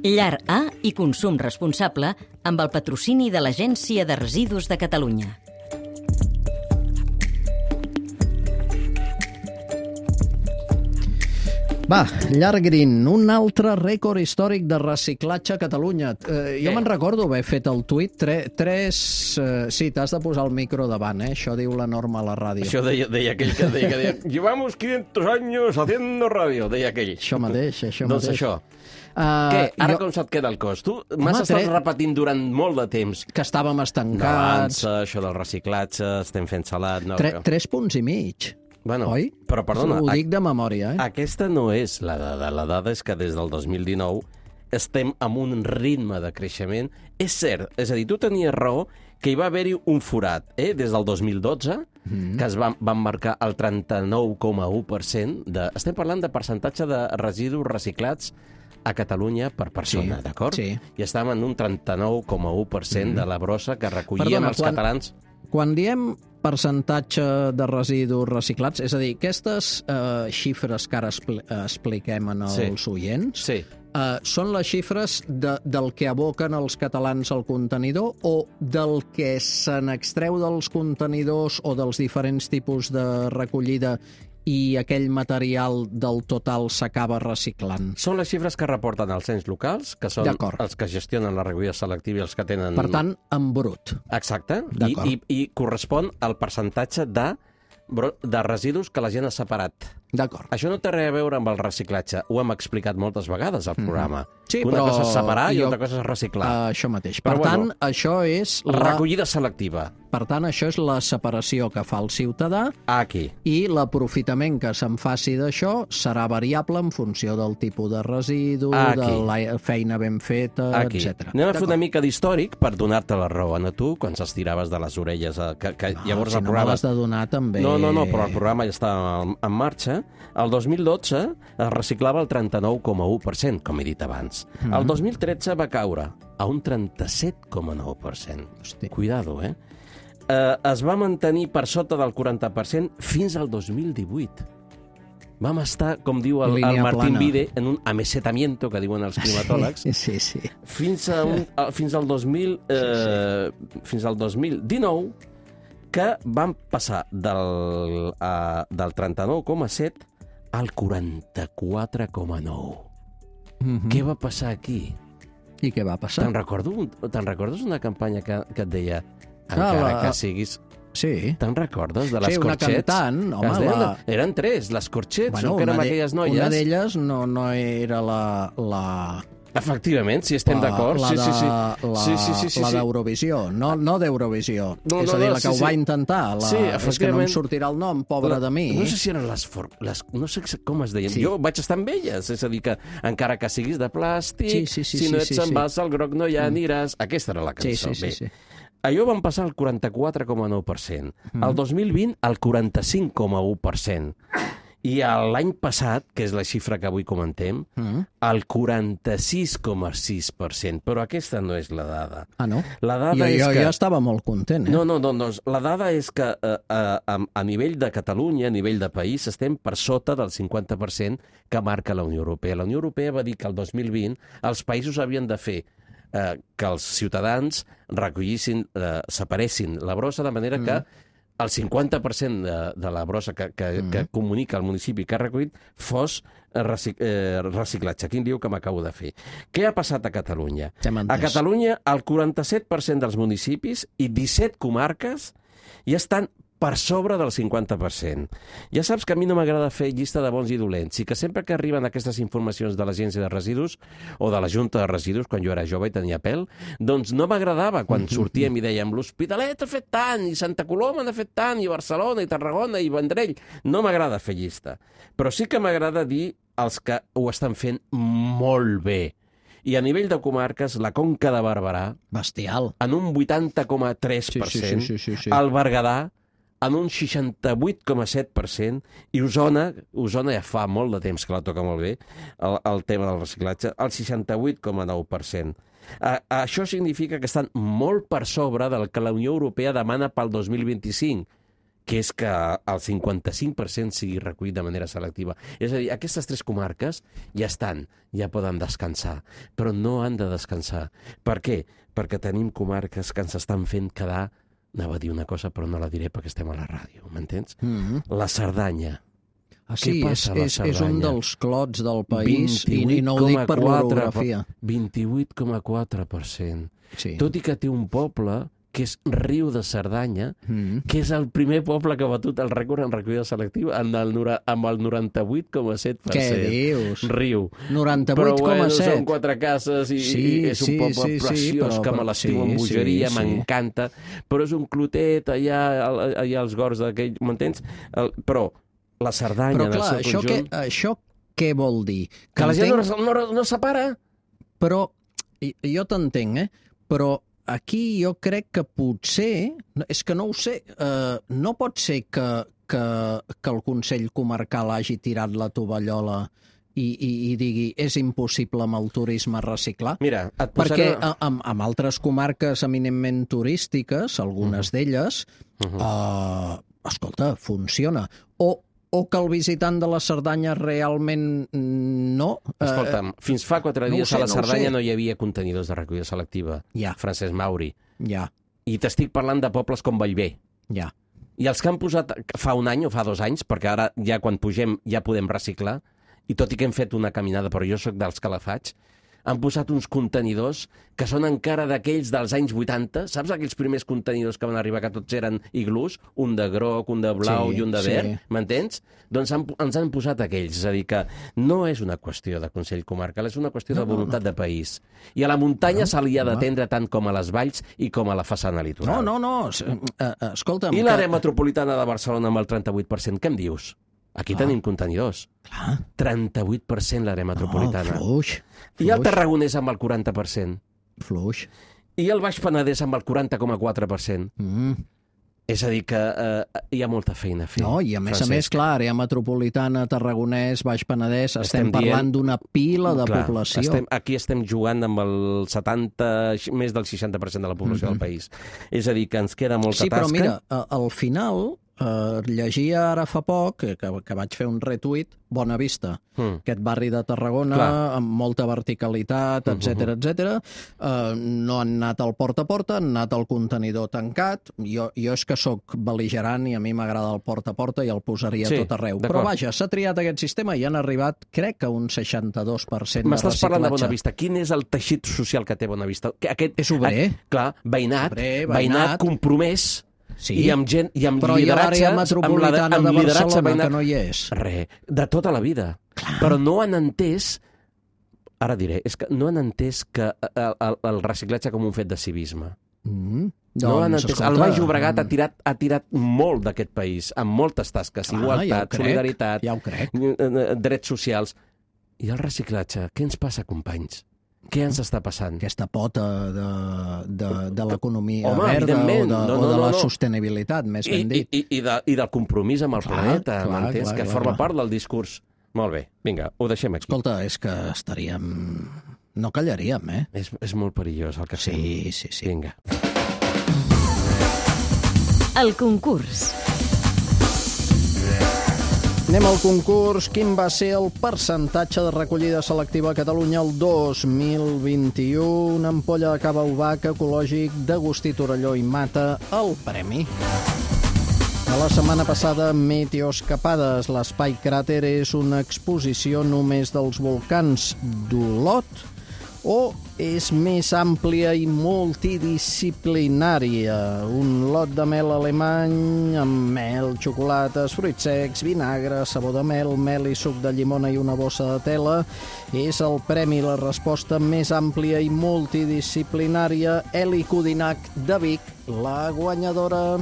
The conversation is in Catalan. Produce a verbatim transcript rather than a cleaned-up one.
Llar A i consum responsable amb el patrocini de l'Agència de Residus de Catalunya. Va, Llar Green, un altre rècord històric de reciclatge a Catalunya. Eh, jo me'n recordo haver fet el tuit, tre, tres... Eh, sí, t'has de posar el micro davant, eh? Això diu la norma a la ràdio. Això deia, deia aquell que deia, que deia llevamos quinientos años haciendo radio, deia aquell. Això mateix, això doncs mateix. això. Uh, Què? Ara jo... com se't queda el cos? Tu m'has estat tre... repetint durant molt de temps. Que estàvem estancats. D'avança, això del reciclatge, estem fent salat... No, tre, tres punts i mig. Bueno, oi? Però perdona... Ho dic de memòria, eh? Aquesta no és la dada. La dada és que des del dos mil dinou estem amb un ritme de creixement. És cert, és a dir, tu tenies raó que hi va haver-hi un forat, eh? Des del dos mil dotze, mm. que es van, van marcar el trenta-nou coma u per cent. De... Estem parlant de percentatge de residus reciclats a Catalunya per persona, sí, d'acord? Sí. I estàvem en un trenta-nou coma u per cent mm. de la brossa que recollien Perdona, els quan, catalans. Quan diem percentatge de residus reciclats, és a dir, aquestes eh, xifres que ara expli expliquem en els sí. oients, sí. eh, són les xifres de, del que aboquen els catalans al contenidor o del que se n'extreu dels contenidors o dels diferents tipus de recollida i aquell material del total s'acaba reciclant? Són les xifres que reporten els ens locals, que són els que gestionen la recollida selectiva i els que tenen... Per tant, en brut. Exacte, I, i, i correspon al percentatge de, de residus que la gent ha separat. D'acord. Això no té res a veure amb el reciclatge. Ho hem explicat moltes vegades al programa. Mm. Sí, una però... cosa és separar i jo... una cosa és reciclar. Uh, això mateix. Però per bueno, tant, això és... La... recollida selectiva. Per tant, això és la separació que fa el ciutadà. Aquí. I l'aprofitament que se'n faci d'això serà variable en funció del tipus de residu, Aquí. de la feina ben feta, Aquí. etcètera. Anem a fer una mica d'històric per donar-te la raó a tu, quan s'estiraves de les orelles. Que, que no, llavors si el no programa... me l'has de donar també... No, no, no, però el programa ja està en, en marxa. El dos mil dotze es reciclava el trenta-nou coma u per cent, com he dit abans. Mm-hmm. El dos mil tretze va caure a un trenta-set coma nou per cent. Hosti. Cuidado, eh? eh? Es va mantenir per sota del quaranta per cent fins al dos mil divuit. Vam estar, com diu el, el Martín plana. Vide, en un amesetamiento, que diuen els climatòlegs, sí, sí, sí. Fins, a un, a, fins al dos mil, eh, sí, sí. fins al dos mil dinou, que van passar del, uh, del trenta-nou coma set al quaranta-quatre coma nou. Mm-hmm. Què va passar aquí? I què va passar? Te'n recordo, te'n recordes una campanya que, que et deia encara ah, la... que siguis... Sí. Te'n recordes de les sí, una Corchets? cantant, home, deien, la... Eren tres, les Corchets, bueno, no, que eren aquelles noies. Una d'elles no, no era la... la... Efectivament, si estem d'acord. La, sí, sí, sí. la, sí, sí, sí, sí, la d'Eurovisió, no, no d'Eurovisió. No, és no, a dir, no, la que sí, ho va sí. intentar. La... Sí, és que no em sortirà el nom, pobra la... de mi. No sé si eren les... For... les... No sé com es deien. Sí. Jo vaig estar amb elles. És a dir, que encara que siguis de plàstic, sí, sí, sí, si no ets sí, sí, en vas al groc no hi aniràs. Mm. Aquesta era la cançó. Sí, sí, sí, sí. Allò van passar al quaranta-quatre coma nou per cent. Mm. El dos mil vint, al quaranta-cinc coma u per cent. I l'any passat, que és la xifra que avui comentem, mm. el quaranta-sis coma sis per cent. Però aquesta no és la dada. Ah, no? La dada jo, és jo, que... jo estava molt content, eh? No, no, no, no. La dada és que eh, a, a nivell de Catalunya, a nivell de país, estem per sota del cinquanta per cent que marca la Unió Europea. La Unió Europea va dir que el dos mil vint els països havien de fer eh, que els ciutadans recollissin, eh, separessin la brossa de manera mm. que el cinquanta per cent de, de la brossa que, que, mm. que comunica el municipi que ha recollit fos recic, eh, reciclatge. Quin lío que m'acabo de fer. Què ha passat a Catalunya? Ja a Catalunya, el quaranta-set per cent dels municipis i disset comarques ja estan per sobre del cinquanta per cent. Ja saps que a mi no m'agrada fer llista de bons i dolents, i que sempre que arriben aquestes informacions de l'Agència de Residus o de la Junta de Residus, quan jo era jove i tenia pèl, doncs no m'agradava quan sortíem i dèiem l'Hospitalet ha fet tant, i Santa Coloma n'ha fet tant, i Barcelona, i Tarragona, i Vendrell. No m'agrada fer llista. Però sí que m'agrada dir els que ho estan fent molt bé. I a nivell de comarques, la Conca de Barberà... Bestial. En un vuitanta coma tres per cent. Sí, sí, sí, sí, sí. El Berguedà, en un seixanta-vuit coma set per cent, i Osona, Osona ja fa molt de temps que la toca molt bé, el, el tema del reciclatge, el seixanta-vuit coma nou per cent. Uh, això significa que estan molt per sobre del que la Unió Europea demana pel dos mil vint-i-cinc, que és que el cinquanta-cinc per cent sigui recollit de manera selectiva. És a dir, aquestes tres comarques ja estan, ja poden descansar, però no han de descansar. Per què? Perquè tenim comarques que ens estan fent quedar, anava a dir una cosa però no la diré perquè estem a la ràdio, m'entens? Mm-hmm. La Cerdanya. Ah, sí, és, passa a la és, és un Cerdanya? dels clots del país i, vint-i-vuit i no ho dic per coma quatre l'orografia. vint-i-vuit coma quatre per cent. Sí. Tot i que té un poble que és Riu de Cerdanya, Mm. que és el primer poble que ha batut el rècord en recollida selectiva amb el, nora- amb el noranta-vuit coma set per cent. Què dius? Riu. noranta-vuit coma set. Però bueno, són quatre cases i, Sí, i és un sí, poble sí, sí, preciós però- que me però- l'estiu sí, amb bogeria, sí, sí. m'encanta, però és un clotet allà, allà als gors d'aquell, m'entens? El- Però la Cerdanya Però en el clar, seu això, conjunt... què, això què vol dir? Que la gent entenc- no, no, no separa. Però, i- jo t'entenc, eh? Però aquí jo crec que potser, és que no ho sé, eh, no pot ser que, que, que el Consell Comarcal hagi tirat la tovallola i, i, i digui és impossible amb el turisme reciclar? Mira, et Perquè posaré... a- amb, amb altres comarques eminentment turístiques, algunes Mhm. d'elles, Uh-huh. eh, escolta, funciona. O, o que el visitant de la Cerdanya realment no... eh, Escolta'm, fins fa quatre no ho dies sé, a la no ho Cerdanya sé. no hi havia contenidors de recollida selectiva. Ja, Francesc Mauri. ja, I t'estic parlant de pobles com Bellver. ja. I els que han posat fa un any o fa dos anys, perquè ara ja quan pugem ja podem reciclar, i tot i que hem fet una caminada, però jo sóc dels que la faig, han posat uns contenidors que són encara d'aquells dels anys vuitanta. Saps aquells primers contenidors que van arribar, que tots eren iglús? Un de groc, un de blau Sí, i un de sí. verd, m'entens? Doncs han, ens han posat aquells. És a dir, que no és una qüestió de Consell Comarcal, és una qüestió No, de no, voluntat de país. I a la muntanya No, se li ha home. d'atendre tant com a les valls i com a la façana No, litoral. no, no, es- eh, eh, escolta'm... I l'àrea metropolitana de Barcelona amb el trenta-vuit per cent, què em dius? Aquí Clar. tenim contenidors. Clar, trenta-vuit per cent l'àrea metropolitana. no, fluix, I el fluix, Tarragonès amb el quaranta per cent. fluix. I el Baix Penedès amb el quaranta coma quatre per cent. Mm. És a dir, que eh, hi ha molta feina a fer. No, i a més a Francesc. més, clar, àrea metropolitana, Tarragonès, Baix Penedès, estem, Estem parlant dient- d'una pila de Clar, població. Estem, aquí estem jugant amb el setanta, més del seixanta per cent de la població Mhm. del país. És a dir, que ens queda molta Sí, però tasca. mira, a- al final, eh, llegia ara fa poc, que, que vaig fer un retuit, Bona Vista, Mm. aquest barri de Tarragona, Clar. amb molta verticalitat, Mhm. etcètera, etcètera. Uh, no han anat al porta a porta, han anat al contenidor tancat. Jo, jo és que sóc bel·ligerant i a mi m'agrada el porta a porta i el posaria Sí, tot arreu. d'acord. Però vaja, s'ha triat aquest sistema i han arribat, crec que un seixanta-dos per cent de M'estàs parlant de reciclatge. Bonavista. Quin és el teixit social que té Bonavista? Que Aquest, És obrer. a- clar, veïnat, Obrer, veïnat, veïnat. compromès, Sí, i amb gent, i amb però hi ha lideratge, l'àrea metropolitana amb, la- amb de lideratge Barcelona, veïnat, que no hi és. Re, de tota la vida. Clar. Però no han entès, ara diré, és que no han entès que el, el, el reciclatge com un fet de civisme. Mm. No han Doncs, entès. escolta, El Baix Llobregat ha mm, tirat, ha tirat molt d'aquest país, amb moltes tasques, clar, igualtat, ja ho crec, solidaritat, Ja ho crec. eh, eh, drets socials. I el reciclatge, què ens passa, companys? Què ens està passant? Aquesta pota de, de, de l'economia Home, verda o de, evidentment. No, no, o de no, la no. sostenibilitat, més I, ben i, dit. i, i, de, I del compromís amb el Clar, planeta, clar, m'entens? clar, Que clar, forma clar. part del discurs. Molt bé, vinga, ho deixem aquí. Escolta, és que estaríem... No callaríem, eh? És, és molt perillós el que fem. Sí, sí, sí. Vinga. El concurs. Anem al concurs. Quin va ser el percentatge de recollida selectiva a Catalunya el dos mil vint-i-u? Una ampolla de cava Ubac ecològic d'Agustí Torelló i Mata, el premi. A la setmana passada, Meteoscapades, l'espai cràter és una exposició només dels volcans d'Olot o és més àmplia i multidisciplinària? Un lot de mel alemany amb mel, xocolates, fruits secs, vinagre, sabó de mel, mel i suc de llimona i una bossa de tela. És el premi, la resposta més àmplia i multidisciplinària. Eli Codinac de Vic, la guanyadora.